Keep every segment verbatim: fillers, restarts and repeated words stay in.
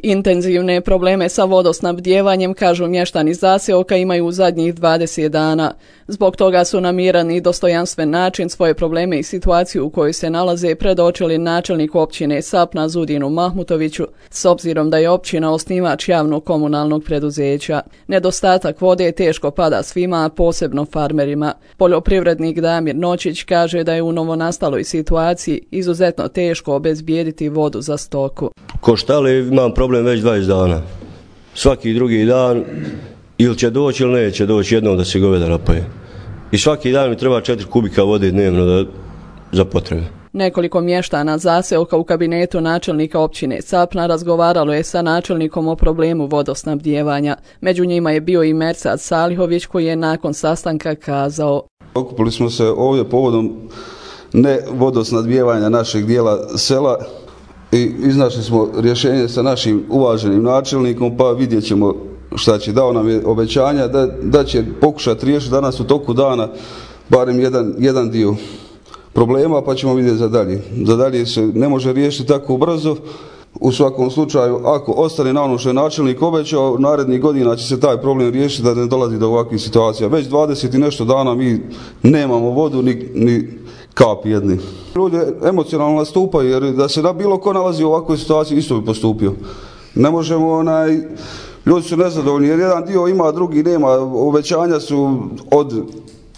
Intenzivne probleme sa vodosnabdjevanjem, kažu mještani zaseoka, imaju u zadnjih dvadeset dana. Zbog toga su na miran i dostojanstven način svoje probleme i situaciju u kojoj se nalaze predočili načelnik općine Sapna Zudinu Mahmutoviću, s obzirom da je općina osnivač javnog komunalnog preduzeća. Nedostatak vode teško pada svima, a posebno farmerima. Poljoprivrednik Damir Nočić kaže da je u novonastaloj situaciji izuzetno teško obezbijediti vodu za stoku. Ko štale imam problem već dvadeset dana. Svaki drugi dan ili će doći ili neće doći jednom da se goveda napaje. I svaki dan mi treba četiri kubika vode dnevno da, za potrebe. Nekoliko mještana zaseoka u kabinetu načelnika općine Sapna razgovaralo je sa načelnikom o problemu vodosnabdjevanja. Među njima je bio i Mersad Salihović koji je nakon sastanka kazao: Okupili smo se ovdje povodom ne vodosnabdjevanja našeg dijela sela i iznašli smo rješenje sa našim uvaženim načelnikom, pa vidjet ćemo šta će. Dao nam je obećanja da, da će pokušati riješiti danas u toku dana barem jedan, jedan dio problema, pa ćemo vidjeti za dalje. Za dalje se ne može riješiti tako brzo. U svakom slučaju, ako ostane na ono što je načelnik obećao, narednih godina će se taj problem riješiti da ne dolazi do ovakvih situacija. Već dvadeset i nešto dana mi nemamo vodu ni, ni kap jedni. Ljudi emocionalno nastupaju, jer da se da bilo ko nalazi u ovakvoj situaciji isto bi postupio. Ne možemo, onaj, ljudi su nezadovoljni jer jedan dio ima, drugi nema. Obećanja su od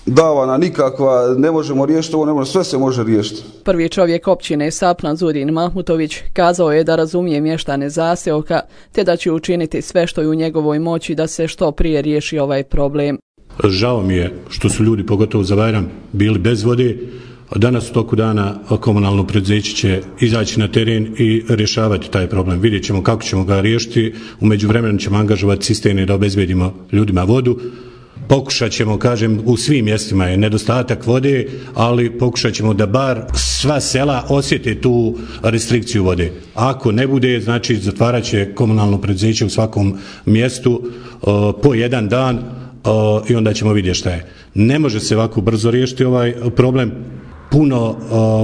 davana nikakva, ne možemo riješiti ovo, ne možemo, sve se može riješiti. Prvi čovjek općine Sapna Zudin Mahmutović kazao je da razumije mještane zaseoka te da će učiniti sve što je u njegovoj moći da se što prije riješi ovaj problem. Žao mi je što su ljudi, pogotovo za Bajram, bili bez vode. Danas u toku dana komunalno preduzeće će izaći na teren i rješavati taj problem. Vidjet ćemo kako ćemo ga riješiti. U međuvremenu ćemo angažovati cisterne da obezbedimo ljudima vodu. Pokušat ćemo, kažem, u svim mjestima je nedostatak vode, ali pokušat ćemo da bar sva sela osjete tu restrikciju vode. Ako ne bude, znači zatvarat će komunalno preduzeće u svakom mjestu uh, po jedan dan uh, i onda ćemo vidjeti šta je. Ne može se ovako brzo riješiti ovaj problem. Puno uh,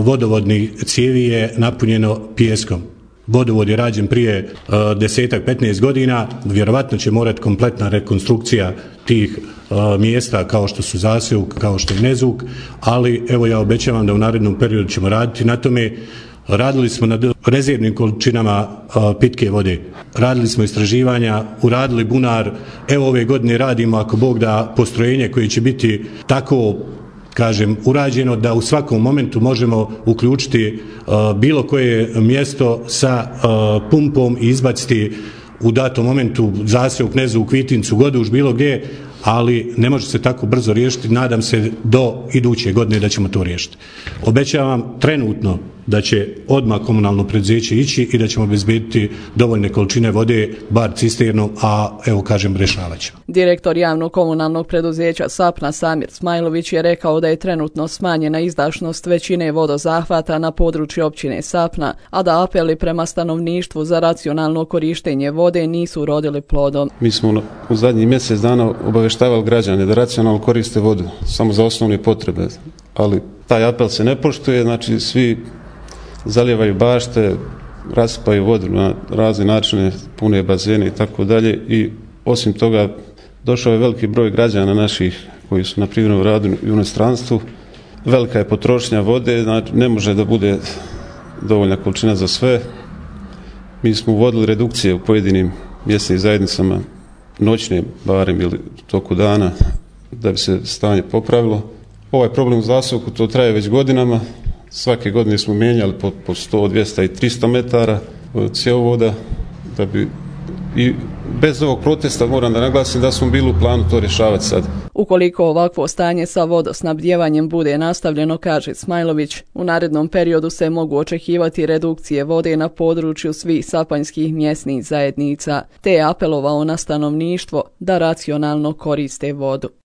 vodovodnih cijevi je napunjeno pijeskom. Vodovod je rađen prije uh, desetak, petnaest godina, vjerovatno će morati kompletna rekonstrukcija tih uh, mjesta kao što su Zaseok, kao što je Nezuk, ali evo ja obećavam da u narednom periodu ćemo raditi na tome. Radili smo na rezervnim količinama uh, pitke vode, radili smo istraživanja, uradili bunar, evo ove godine radimo, ako Bog da, postrojenje koje će biti tako, kažem, urađeno da u svakom momentu možemo uključiti uh, bilo koje mjesto sa uh, pumpom i izbaciti u datom momentu Zaseok, Nezuk, Vitincu, Goduš, bilo gdje, ali ne može se tako brzo riješiti. Nadam se do iduće godine da ćemo to riješiti. Obećavam trenutno da će odmah komunalno preduzeće ići i da ćemo obezbediti dovoljne količine vode, bar cisternom, a evo kažem rješavat ćemo. Direktor javnog komunalnog preduzeća Sapna Samir Smajlović je rekao da je trenutno smanjena izdašnost većine vodozahvata na području općine Sapna, a da apeli prema stanovništvu za racionalno korištenje vode nisu urodili plodom. Mi smo u zadnjih mjesec dana obaveštavali građane da racionalno koriste vodu samo za osnovne potrebe, ali taj apel se ne poštuje, znači svi zalijevaju bašte, rasipaju vodu na razne načine, pune bazene i tako dalje, i osim toga došao je veliki broj građana naših koji su na privremenom radu i u inostranstvu. Velika je potrošnja vode, znači ne može da bude dovoljna količina za sve. Mi smo uvodili redukcije u pojedinim mjesnim zajednicama, noćne barem ili toku dana, da bi se stanje popravilo. Ovaj problem u Zaseoku to traje već godinama. Svake godine smo mijenjali po, po sto, dvjesto i tristo metara cjevovoda, da bi, i bez ovog protesta moram da naglasim da smo bili u planu to rješavati sad. Ukoliko ovakvo stanje sa vodosnabdjevanjem bude nastavljeno, kaže Smajlović, u narednom periodu se mogu očekivati redukcije vode na području svih sapanjskih mjesnih zajednica, te je apelovao na stanovništvo da racionalno koriste vodu.